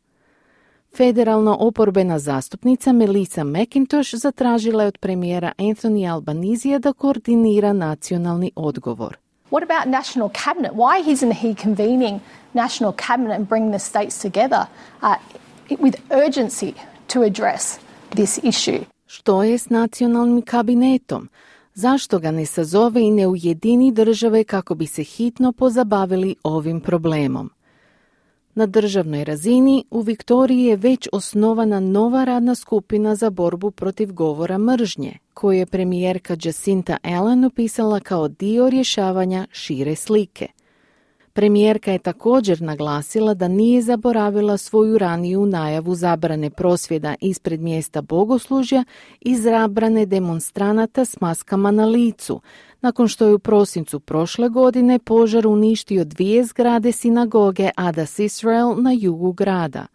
Federalno oporbena zastupnica Melissa McIntosh zatražila je od premijera Anthony Albanisija da koordinira nacionalni odgovor. What about national cabinet? Why isn't he convening national cabinet and bring the states together with urgency to address this issue? Što je s nacionalnim kabinetom? Zašto ga ne sazove i ne ujedini države kako bi se hitno pozabavili ovim problemom? Na državnoj razini u Viktoriji je već osnovana nova radna skupina za borbu protiv govora mržnje, koju je premijerka Jacinta Allen opisala kao dio rješavanja šire slike. Premijerka je također naglasila da nije zaboravila svoju raniju najavu zabrane prosvjeda ispred mjesta bogoslužja i zabrane demonstranata s maskama na licu, nakon što je u prosincu prošle godine požar uništio 2 zgrade sinagoge Adas Israel na jugu grada.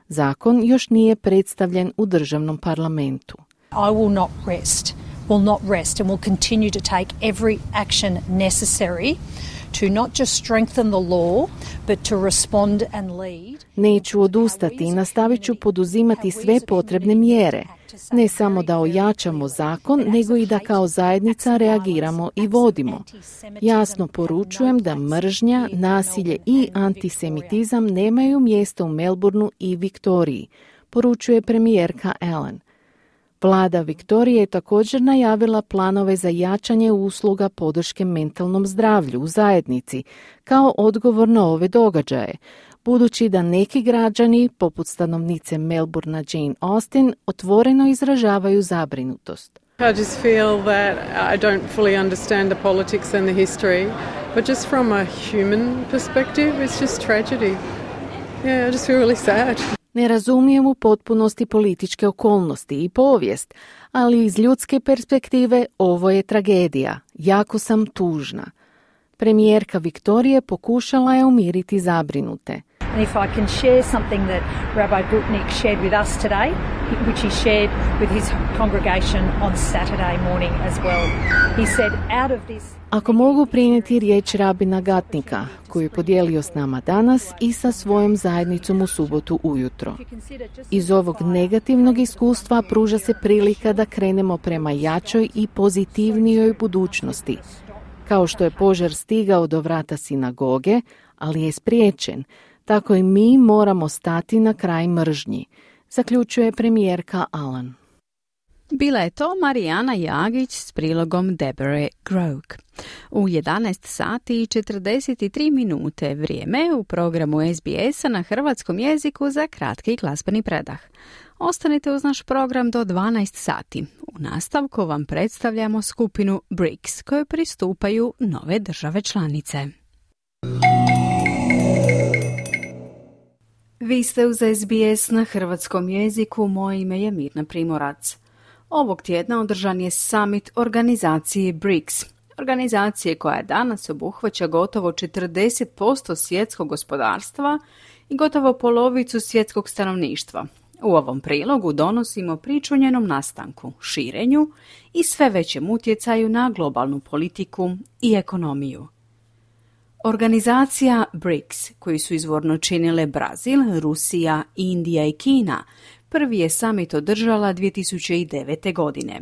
Zakon još nije predstavljen u državnom parlamentu. I will not rest and will continue to take every action necessary to not just strengthen the law, but to respond and lead. Neću odustati i nastavit ću poduzimati sve potrebne mjere. Ne samo da ojačamo zakon, nego i da kao zajednica reagiramo i vodimo. Jasno poručujem da mržnja, nasilje i antisemitizam nemaju mjesto u Melbourneu i Viktoriji, poručuje premijerka Allen. Vlada Viktorije je također najavila planove za jačanje usluga podrške mentalnom zdravlju u zajednici kao odgovor na ove događaje, budući da neki građani, poput stanovnice Melbourna Jane Austen, otvoreno izražavaju zabrinutost. I just feel that I don't fully understand the politics and the history, but just from a human perspective, it's just tragedy. Yeah, I just feel really sad. Ne razumijem u potpunosti političke okolnosti i povijest, ali iz ljudske perspektive ovo je tragedija. Jako sam tužna. Premijerka Viktorije pokušala je umiriti zabrinute. And if I can share something that Rabbi Gutnick shared with us today, which he shared with his congregation on Saturday morning as well. He said, out of this... Ako mogu prenijeti riječ rabina Gatnika, koju je podijelio s nama danas i sa svojom zajednicom u subotu ujutro. Iz ovog negativnog iskustva pruža se prilika da krenemo prema jačoj i pozitivnijoj budućnosti. Kao što je požar stigao do vrata sinagoge, ali je spriječen, tako i mi moramo stati na kraj mržnji, zaključuje premijerka Allen. Bila je to Marijana Jagić s prilogom Deborah Groke. U 11 sati i 43 minute vrijeme u programu SBS-a na hrvatskom jeziku za kratki glazbeni predah. Ostanite uz naš program do 12 sati. U nastavku vam predstavljamo skupinu BRICS kojoj pristupaju nove države članice. Vi ste uz SBS na hrvatskom jeziku, moje ime je Mirna Primorac. Ovog tjedna održan je summit organizacije BRICS, organizacije koja danas obuhvaća gotovo 40% svjetskog gospodarstva i gotovo polovicu svjetskog stanovništva. U ovom prilogu donosimo priču o njenom nastanku, širenju i sve većem utjecaju na globalnu politiku i ekonomiju. Organizacija BRICS, koju su izvorno činile Brazil, Rusija, Indija i Kina, prvi je summit održala 2009. godine.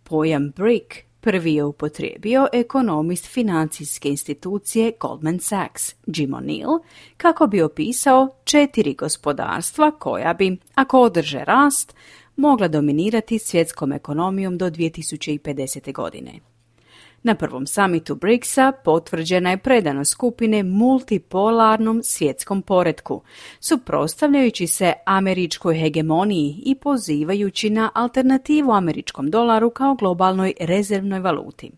Pojam BRIC prvi je upotrijebio ekonomist financijske institucije Goldman Sachs, Jim O'Neill, kako bi opisao 4 gospodarstva koja bi, ako održe rast, mogla dominirati svjetskom ekonomijom do 2050. godine. Na prvom samitu BRICS-a potvrđena je predanost skupine multipolarnom svjetskom poretku, suprotstavljajući se američkoj hegemoniji i pozivajući na alternativu američkom dolaru kao globalnoj rezervnoj valuti.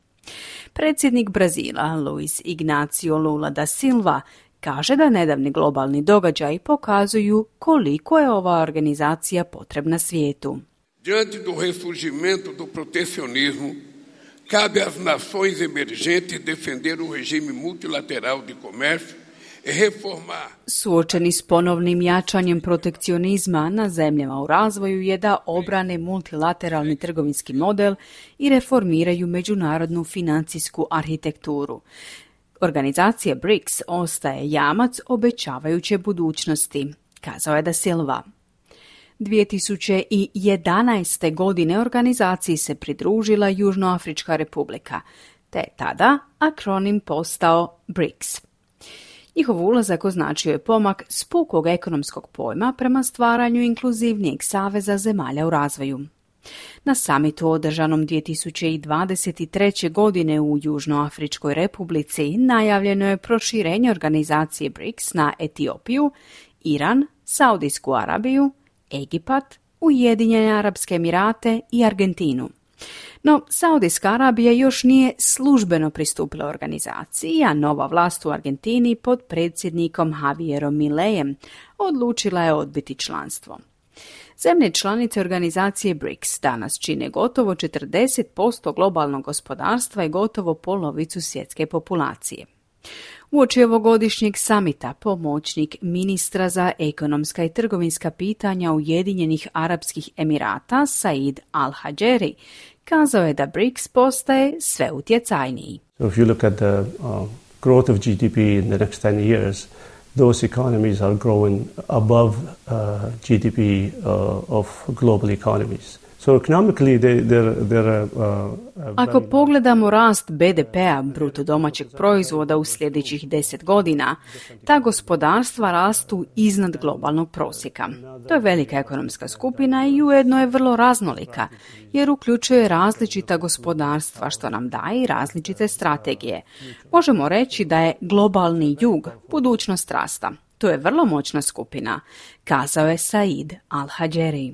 Predsjednik Brazila, Luiz Inácio Lula da Silva, kaže da nedavni globalni događaji pokazuju koliko je ova organizacija potrebna svijetu. Diante do ressurgimento do protecionismo, cabe às nações emergentes defender um regime multilateral de comércio e reformar. Suočeni s ponovnim jačanjem protekcionizma na zemljama u razvoju je da obrane multilateralni trgovinski model i reformiraju međunarodnu financijsku arhitekturu. Organizacija BRICS ostaje jamac obećavajuće budućnosti, kazao je da Silva. 2011. godine organizaciji se pridružila Južnoafrička republika, te je tada akronim postao BRICS. Njihov ulazak označio je pomak s pukog ekonomskog pojma prema stvaranju inkluzivnijeg saveza zemalja u razvoju. Na samitu održanom 2023. godine u Južnoafričkoj republici najavljeno je proširenje organizacije BRICS na Etiopiju, Iran, Saudijsku Arabiju, Egipat, Ujedinjene Arapske Emirate i Argentinu. No, Saudijska Arabija još nije službeno pristupila organizaciji, a nova vlast u Argentini pod predsjednikom Javierom Mileijem odlučila je odbiti članstvo. Zemlje članice organizacije BRICS danas čine gotovo 40% globalnog gospodarstva i gotovo polovicu svjetske populacije. Uoči ovogodišnjeg samita pomoćnik ministra za ekonomska i trgovinska pitanja Ujedinjenih Arapskih Emirata Said Al-Hajeri kazao je da BRICS postaje sve utjecajniji. So if you look at the growth of GDP in the next 10 years, those economies are growing above GDP of global economies. So economically, Ako pogledamo rast BDP-a, bruto domaćeg proizvoda u sljedećih 10 godina, ta gospodarstva rastu iznad globalnog prosjeka. To je velika ekonomska skupina i ujedno je vrlo raznolika, jer uključuje različita gospodarstva, što nam daje i različite strategije. Možemo reći da je globalni jug budućnost rasta. To je vrlo moćna skupina, kazao je Said Al-Hajeri.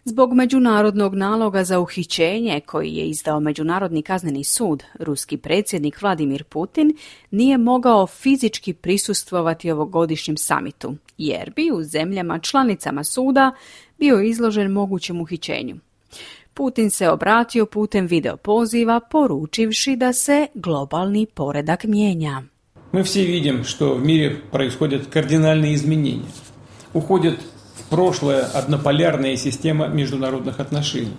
Zbog međunarodnog naloga za uhićenje koji je izdao Međunarodni kazneni sud, ruski predsjednik Vladimir Putin nije mogao fizički prisustvovati ovogodišnjem samitu, jer bi u zemljama članicama suda bio izložen mogućem uhićenju. Putin se obratio putem video poziva, poručivši da se globalni poredak mijenja. Мы все видим, что в мире происходят кардинальные изменения. Уходит в прошлое однополярная система международных отношений,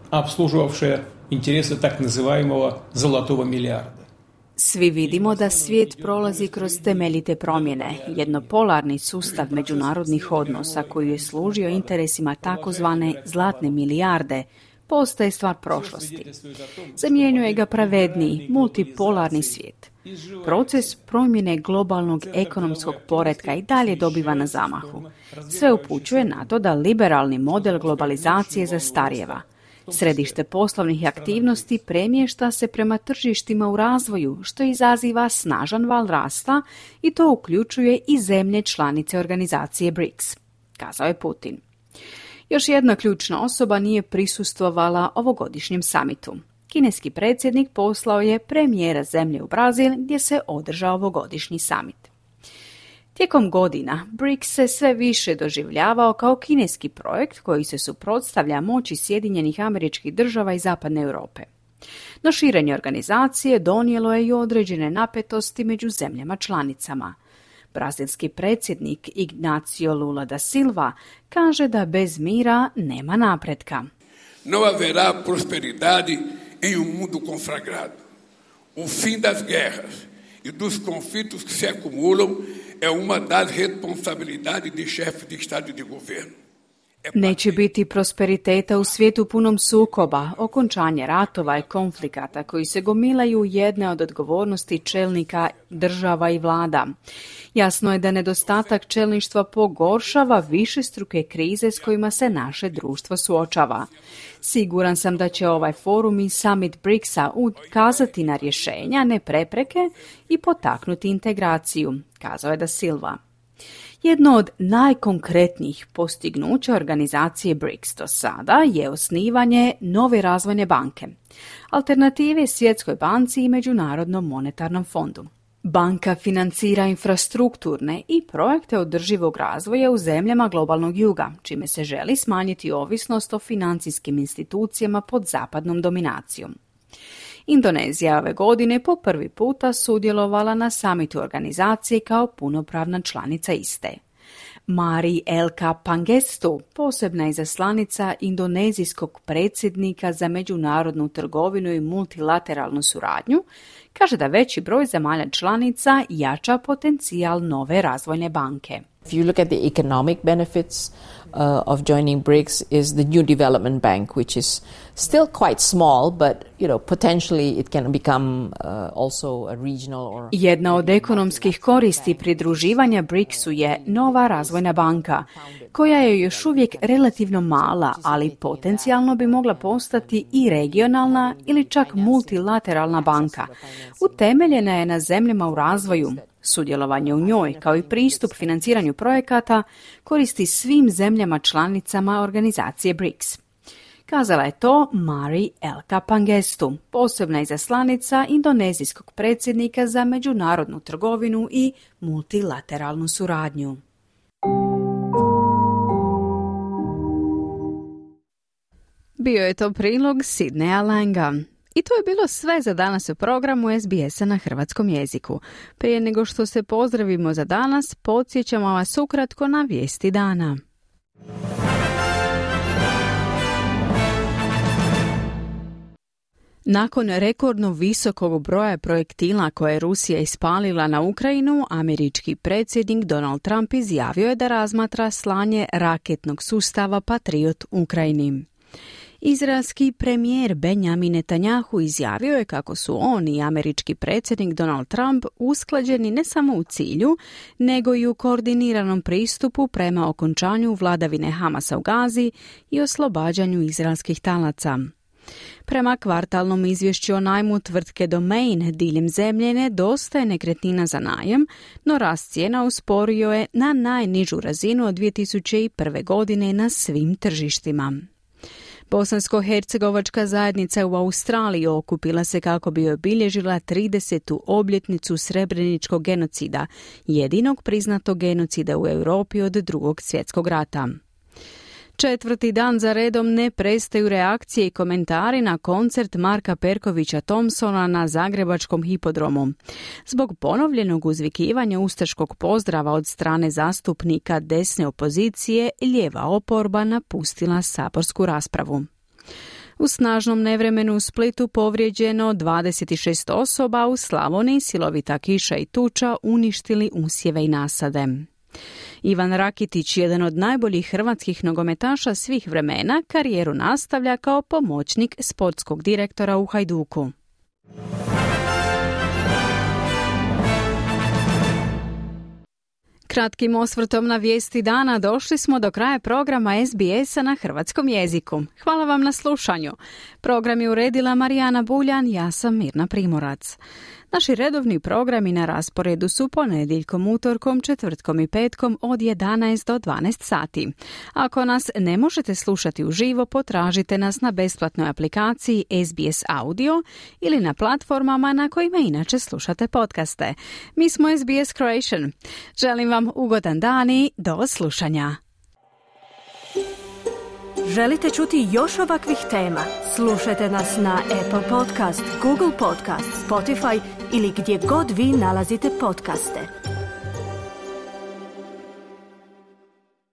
обслуживавшая интересы так называемого «золотого миллиарда». Svi vidimo da svijet prolazi kroz temeljite promjene, jednopolarni sustav međunarodnih odnosa koji je služio interesima takozvane zlatne milijarde, postaje stvar prošlosti. Zamjenjuje ga pravedniji, multipolarni svijet. Proces promjene globalnog ekonomskog poretka i dalje dobiva na zamahu. Sve upućuje na to da liberalni model globalizacije zastarijeva. Središte poslovnih aktivnosti premješta se prema tržištima u razvoju, što izaziva snažan val rasta i to uključuje i zemlje članice organizacije BRICS, kazao je Putin. Još jedna ključna osoba nije prisustvovala ovogodišnjem samitu. Kineski predsjednik poslao je premijera zemlje u Brazil gdje se održao ovogodišnji samit. Tijekom godina BRICS se sve više doživljavao kao kineski projekt koji se suprotstavlja moći Sjedinjenih Američkih Država i Zapadne Europe. No širenje organizacije donijelo je i određene napetosti među zemljama članicama. Brazilski predsjednik Ignacio Lula da Silva kaže da bez mira nema napretka. Não haverá prosperidade em mundo conflagrado. O fim das guerras e dos conflitos que se acumulam é uma das responsabilidades de chefes de Estado e de governo. Neće biti prosperiteta u svijetu punom sukoba, okončanje ratova i konflikata koji se gomilaju jedne od odgovornosti čelnika država i vlada. Jasno je da nedostatak čelništva pogoršava višestruke krize s kojima se naše društvo suočava. Siguran sam da će ovaj forum i summit BRICS-a ukazati na rješenja, ne prepreke i potaknuti integraciju, kazao je da Silva. Jedno od najkonkretnijih postignuća organizacije BRICS do sada je osnivanje nove razvojne banke, alternative Svjetskoj banci i Međunarodnom monetarnom fondu. Banka financira infrastrukturne i projekte održivog razvoja u zemljama globalnog juga, čime se želi smanjiti ovisnost o financijskim institucijama pod zapadnom dominacijom. Indonezija ove godine po prvi puta sudjelovala na samitu organizacije kao punopravna članica iste. Mari Elka Pangestu, posebna izaslanica indonezijskog predsjednika za međunarodnu trgovinu i multilateralnu suradnju, kaže da veći broj zemalja članica jača potencijal nove razvojne banke. If you look at the economic benefits of joining BRICS is the New Development Bank, which is still quite small, but potentially it can become also a regional or... Jedna od ekonomskih koristi pridruživanja BRICS-u je nova razvojna banka, koja je još uvijek relativno mala, ali potencijalno bi mogla postati i regionalna ili čak multilateralna banka. Utemeljena je na zemljama u razvoju. Sudjelovanje u njoj, kao i pristup financiranju projekata, koristi svim zemljama članicama organizacije BRICS. Kazala je to Mari Elka Pangestu, posebna izaslanica indonezijskog predsjednika za međunarodnu trgovinu i multilateralnu suradnju. Bio je to prilog Sidneya Langa. I to je bilo sve za danas u programu SBS-a na hrvatskom jeziku. Prije nego što se pozdravimo za danas, podsjećamo vas ukratko na vijesti dana. Nakon rekordno visokog broja projektila koje je Rusija ispalila na Ukrajinu, američki predsjednik Donald Trump izjavio je da razmatra slanje raketnog sustava Patriot Ukrajini. Izraelski premijer Benjamin Netanyahu izjavio je kako su on i američki predsjednik Donald Trump usklađeni ne samo u cilju, nego i u koordiniranom pristupu prema okončanju vladavine Hamasa u Gazi i oslobađanju izraelskih talaca. Prema kvartalnom izvješću o najmu tvrtke Domain diljem zemlje nedostaje nekretnina za najam, no rast cijena usporio je na najnižu razinu od 2001. godine na svim tržištima. Bosansko-hercegovačka zajednica u Australiji okupila se kako bi obilježila 30. obljetnicu Srebreničkog genocida, jedinog priznatog genocida u Europi od Drugog svjetskog rata. 4. dan za redom ne prestaju reakcije i komentari na koncert Marka Perkovića Thompsona na Zagrebačkom hipodromu. Zbog ponovljenog uzvikivanja ustaškog pozdrava od strane zastupnika desne opozicije, lijeva oporba napustila saborsku raspravu. U snažnom nevremenu u Splitu povrijeđeno 26 osoba, u Slavoniji silovita kiša i tuča uništili usjeve i nasade. Ivan Rakitić, jedan od najboljih hrvatskih nogometaša svih vremena, karijeru nastavlja kao pomoćnik sportskog direktora u Hajduku. Kratkim osvrtom na vijesti dana došli smo do kraja programa SBS-a na hrvatskom jeziku. Hvala vam na slušanju. Program je uredila Marijana Buljan, ja sam Mirna Primorac. Naši redovni programi na rasporedu su ponedjeljkom, utorkom, četvrtkom i petkom od 11 do 12 sati. Ako nas ne možete slušati uživo, potražite nas na besplatnoj aplikaciji SBS Audio ili na platformama na kojima inače slušate podcaste. Mi smo SBS Croatian. Želim vam ugodan dan i do slušanja. Želite čuti još ovakvih tema? Slušajte nas na Apple Podcast, Google Podcast, Spotify ili gdje god vi nalazite podcaste.